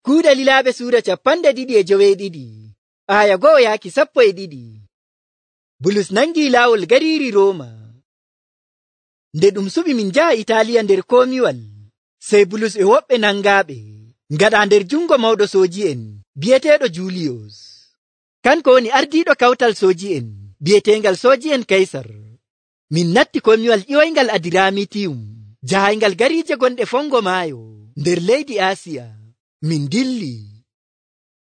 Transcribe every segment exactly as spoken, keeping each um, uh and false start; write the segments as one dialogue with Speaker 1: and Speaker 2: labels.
Speaker 1: Kuuɗe Lilaaɓe suura capanɗe ɗiɗi e joweeɗiɗi, aya go'o yaaki sappo e ɗiɗi. Bulus nangii laawol gariiri Rooma. Nde ɗum suɓi min njaha Itaaliya nder komiwal, sey Bulus e woɓɓe nangaaɓe ngaɗaa nder jungo mawɗo sooji'en bi'eteeɗo Juuliyos. Kanko woni ardiiɗo kawtal sooji'en bi'eteengal sooji'en Kaysar. Min natti komiwal ƴiwoyngal Adiramitiyum, jahayngal gariije gonɗe fongo maayo nder leydi Aasiya. Min dilli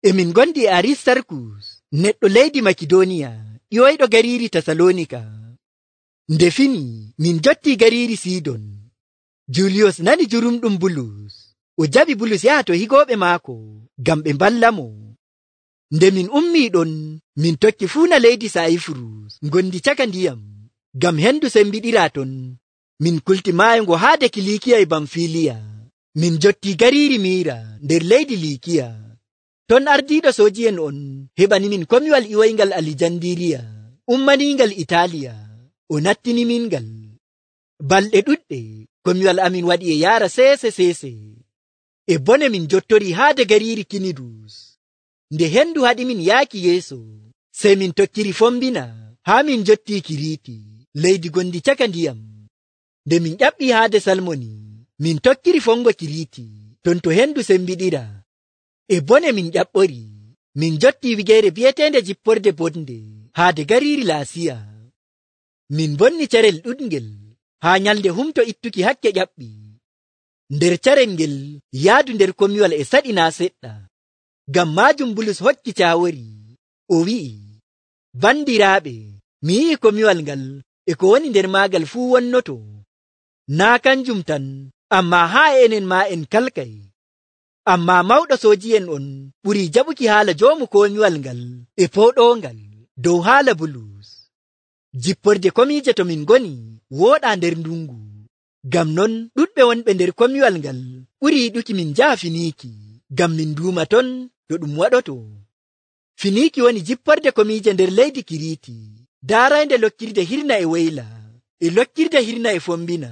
Speaker 1: e min gondi e Aristarkus, neɗɗo leydi Makidoniya, ƴiwoyɗo gariiri Tasalonika. Nde fini min jotti gariiri Sidon. Juuliyos nani jurumɗum Bulus, o jaɓi Bulus yaha to higooɓe maako ngam ɓe mballamo. Nde min ummii ɗon, min tokki fuuna leydi Sayifurus ngondi caka ndiyam, ngam hendu sembiɗiraa ton. Min kulti maayo ngo haade Kilikiya e Bamfiliya. Min jotti gariiri Miira nder leydi Likiya. Ton ardiiɗo sooji'en on heɓani min komiwal ƴiwoyngal Alijandiriya, ummaniingal Itaaliya. O nattinimin ngal. Balɗe ɗuɗɗe komiwal amin waɗi e yaara seese seese. E bone min jottori haade gariiri Kinidus. Nde hendu haɗi min yaaki yeeso, sey min tokkiri fombina haa min jotti Kiriti, leydi gondi caka ndiyam. Nde min ƴaɓɓi haade Salmoni, min tokkiri fongo Kiriti, ton to hendu sembiɗira. E bone min ƴaɓɓori, min jotti wigeere bi'eteende Jipporde Bonde haade gariiri Laasiya. Min bonni carel ɗuɗngel haa nyalde humto ittuki hakke ƴaɓɓi. Nder carel ngel yaadu nder komiwal e saɗinaa seɗɗa. Ngam maajum Bulus hokki caawori, o wi'i, bandiraaɓe, mi yi'i komiwal ngal e ko woni nder maagal fuu wonnoto. Naa kanjum tan, ammaa haa enen maa en kalkay. Ammaa mawɗo sooji'en on ɓurii jaɓuki haala joomu komiwal ngal e pooɗoongal dow haala Bulus. Jipporde komiije to min ngoni wooɗaa nder ndungu. Ngam non ɗuɗɓe wonɓe nder komiwal ngal ɓuri yiɗuki min njaha Finiiki, ngam min duuma ton to ɗum waɗoto. Finiiki woni jipporde komiije nder leydi Kiriti, daaraynde lokkirde hirna e wayla, e lokkirde hirna e fombina.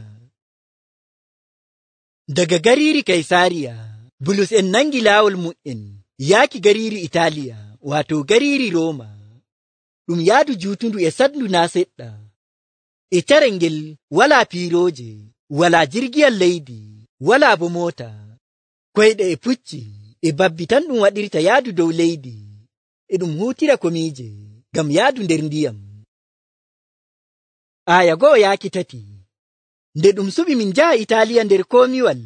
Speaker 1: Daga gariiri Kaysariya, Bulus en nangi laawol mu'en yaaki gariiri Itaaliya, waato gariiri Rooma. Ɗum yaadu juutundu e saɗndu naa seɗɗa. E carel ngel walaa piirooje, walaa jirgiyal leydi, walaa bo moota. Koyɗe e pucci e babbi tan ɗum waɗirta yaadu dow leydi, e ɗum huutira komiije ngam yaadu nder ndiyam. Aya go'o yaaki tati. Nde ɗum suɓi min njaha Itaaliya nder komiwal,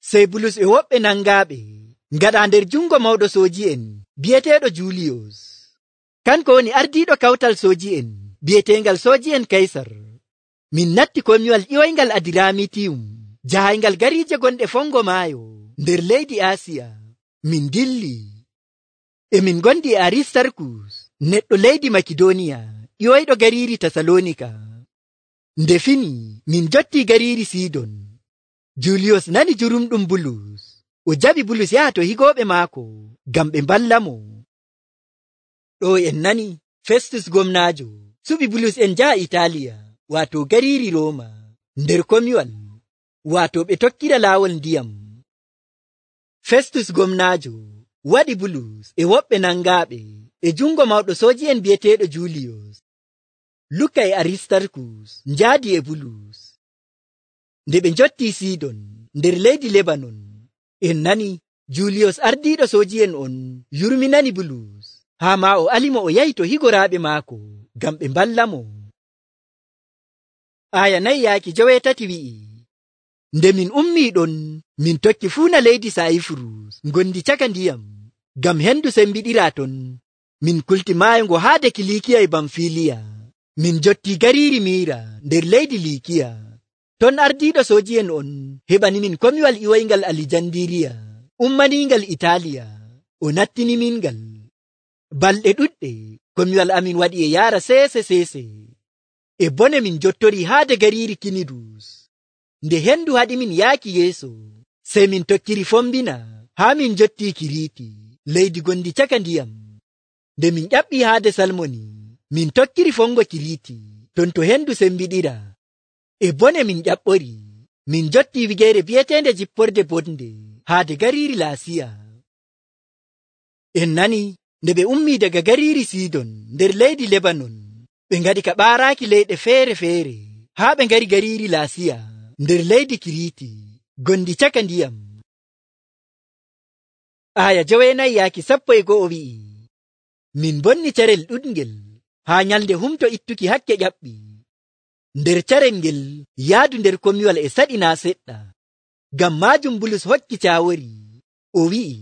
Speaker 1: sey Bulus e woɓɓe nangaaɓe ngaɗaa nder jungo mawɗo sooji'en bi'eteeɗo Juuliyos. Kanko woni ardiiɗo kawtal sooji'en bi'eteengal sooji'en Kaysar. Min natti komiwal ƴiwoyngal Adiramitiyum, jahayngal gariije gonɗe fongo maayo nder leydi Aasiya. Min dilli e min gondi e Aristarkus, neɗɗo leydi Makidoniya, ƴiwoyɗo gariiri Tasalonika. Nde fini min jotti gariiri Sidon. Juuliyos nani jurumɗum Bulus, o jaɓi Bulus yaha to higooɓe maako ngam ɓe mballamo. Ɗo en nani Festus gomnaajo suɓi Bulus en njaha Itaaliya, waato gariiri Rooma, nder komiwal, waato ɓe tokkira laawol ndiyam. Festus gomnaajo waɗi Bulus e woɓɓe nangaaɓe e jungo mawɗo sooji'en bi'eteeɗo Juuliyos. Luka e Aristarkus njaadi e Bulus. Nde ɓe njotti Sidon nder leydi Lebanon, en nani Juuliyos ardiiɗo sooji'en on yurminani Bulus, haa maa o alimo o yahi to higoraaɓe maako ngam ɓe mballamo. Aya nayi yaaki joweetati wi'i, nde min ummii ɗon, min tokki fuuna leydi Sayifurus ngondi caka ndiyam, ngam hendu sembiɗiraa ton. Min kulti maayo ngo haade Kilikiya e Bamfiliya. Min jotti gariiri Miira nder leydi Likiya. Ton ardiiɗo sooji'en on heɓani min komiwal ƴiwoyngal Alijandiriya, ummaniingal Itaaliya. O nattinimin ngal. Balɗe ɗuɗɗe komiwal amin waɗi e yaara seese seese. E bone min jottori haade gariiri Kinidus. Nde hendu haɗi min yaaki yeeso, sey min tokkiri fombina haa min jotti Kiriti, leydi gondi caka ndiyam. Nde min ƴaɓɓi haade Salmoni, min tokkiri fongo Kiriti, ton to hendu sembiɗira. E bone min ƴaɓɓori, min jotti wigeere bi'eteende Jipporde Bonde haade gariiri Laasiya. En nani nde ɓe ummi daga gariiri Sidon nder leydi Lebanon, ɓe ngaɗi ka ɓaaraaki leyɗe feere-feere haa ɓe ngari gariiri Laasiya nder leydi Kiriiti gondi caka ndiyam. Aya joweenayi yaaki sappo e go'o wi'i, min bonni carel ɗuɗngel haa nyalnde humto ittuki hakke ƴaɓɓi. Nder carel ngel yaadu nder komiwal e saɗinaa seɗɗa. Ngam maajum Bulus hokki caawori, o wi'i,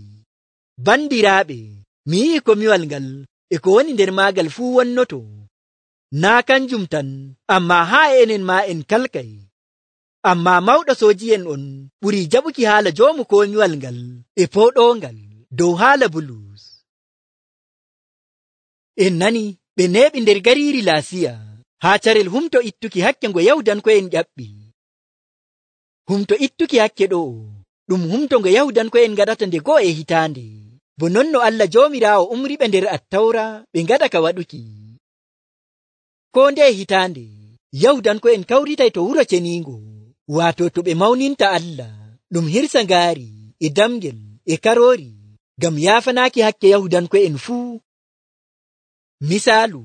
Speaker 1: bandiraaɓe, mi yi'i komiwal ngal e ko woni nder maagal fuu wonnoto. Naa kanjum tan, ammaa haa enen maa en kalkay. Ammaa mawɗo sooji'en on ɓurii jaɓuki haala joomu komiwal ngal e pooɗoongal dow haala Bulus. En nani ɓe neeɓi nder gariiri Laasiya haa carel humto ittuki hakke ngo Yahudanko'en ƴaɓɓi. Humto ittuki hakke ɗo'o ɗum humto ngo Yahudanko'en ngaɗata nde go'o e hitaande, bo non no Allah Joomiraawo umriɓe nder Attawra ɓe ngaɗa ka waɗuki. Koo ndeye hitaande, Yahudanko'en kawritay to wuro ceniingo, waato to ɓe mawninta Allah, ɗum hirsa ngaari e damgel e karoori, ngam yaafanaaki hakke Yahudanko'en fuu. Misaalu,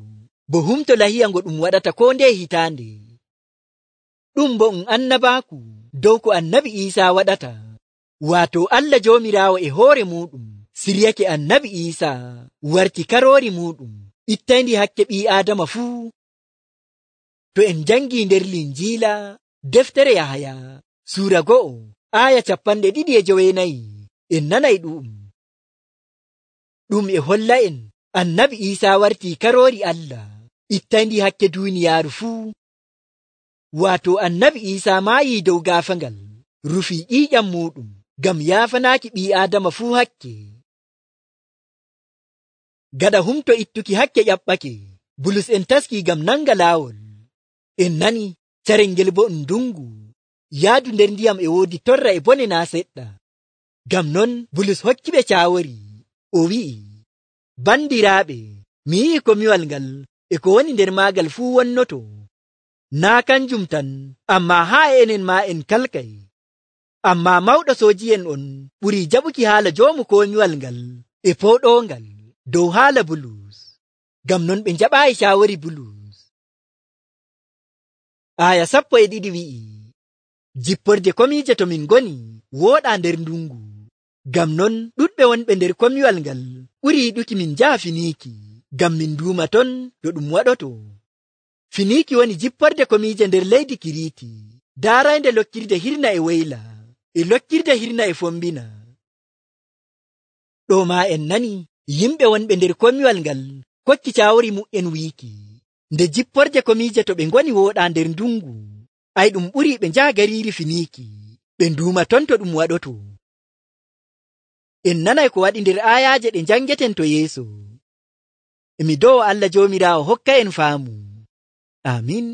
Speaker 1: bo humto lahiya ngo ɗum waɗata koo ndeye hitaande. Ɗum bo um annabaaku dow ko annabi Iisaa waɗata, waato Allah Joomiraawo e hoore muuɗum siryake annabi Iisaa warti karoori muuɗum ittayndi hakke ɓii Aadama fuu. To en jangii nder Linjiila deftere Yahaya suura go'o aaya capanɗe ɗiɗi e joweenayi, en nanay ɗu'um. Ɗum e holla en annabi Iisaa wartii karoori Allah ittayndi hakke duuniyaaru fuu. Waato annabi Iisaa maayii dow gaafangal, rufii ƴiiƴam muuɗum ngam yaafanaaki ɓii Aadama fuu hakke. Gaɗa humto ittuki hakke ƴaɓɓake, Bulus en taskii ngam nanga laawol. En nani carel ngel bo um ndungu, yaadu nder ndiyam e woodi torra e bone naa seɗɗa. Ngam non Bulus hokkiɓe caawori, o wi'i, bandiraaɓe, mi yi'i komiwal ngal e ko woni nder maagal fuu wonnoto. Naa kanjum tan, ammaa haa enen maa en kalkay. Ammaa mawɗo sooji'en on ɓurii jaɓuki haala joomu komiwal ngal e pooɗoongal dow haala Bulus. Ngam non ɓe njaɓaayi caawori Bulus. Aya sappo e ɗiɗi wi'i, jipporde komiije to min ngoni wooɗaa nder ndungu. Ngam non ɗuɗɓe wonɓe nder komiwal ngal ɓuri yiɗuki min njaha Finiiki, ngam min nduuma ton no ɗum waɗoto. Finiiki woni jipporde komiije nder leydi Kiriiti, daaraynde lokkirde hirna e weyla, e lokkirde hirna e fombina. Ɗo maa en nani yimɓe wonɓe nder komiwal ngal kokki caawori mu'en wiiki, nde jipporde komiije to ɓe ngoni wooɗaa nder ndungu, ay ɗum ɓurii ɓe njaha gariiri Finiiki, ɓe nduuma ton to ɗum waɗoto. En nanay ko waɗi nder aayaaje ɗe njangeten to yeeso. Emi dow Allah Joomiraawo hokka en faamu. Amin.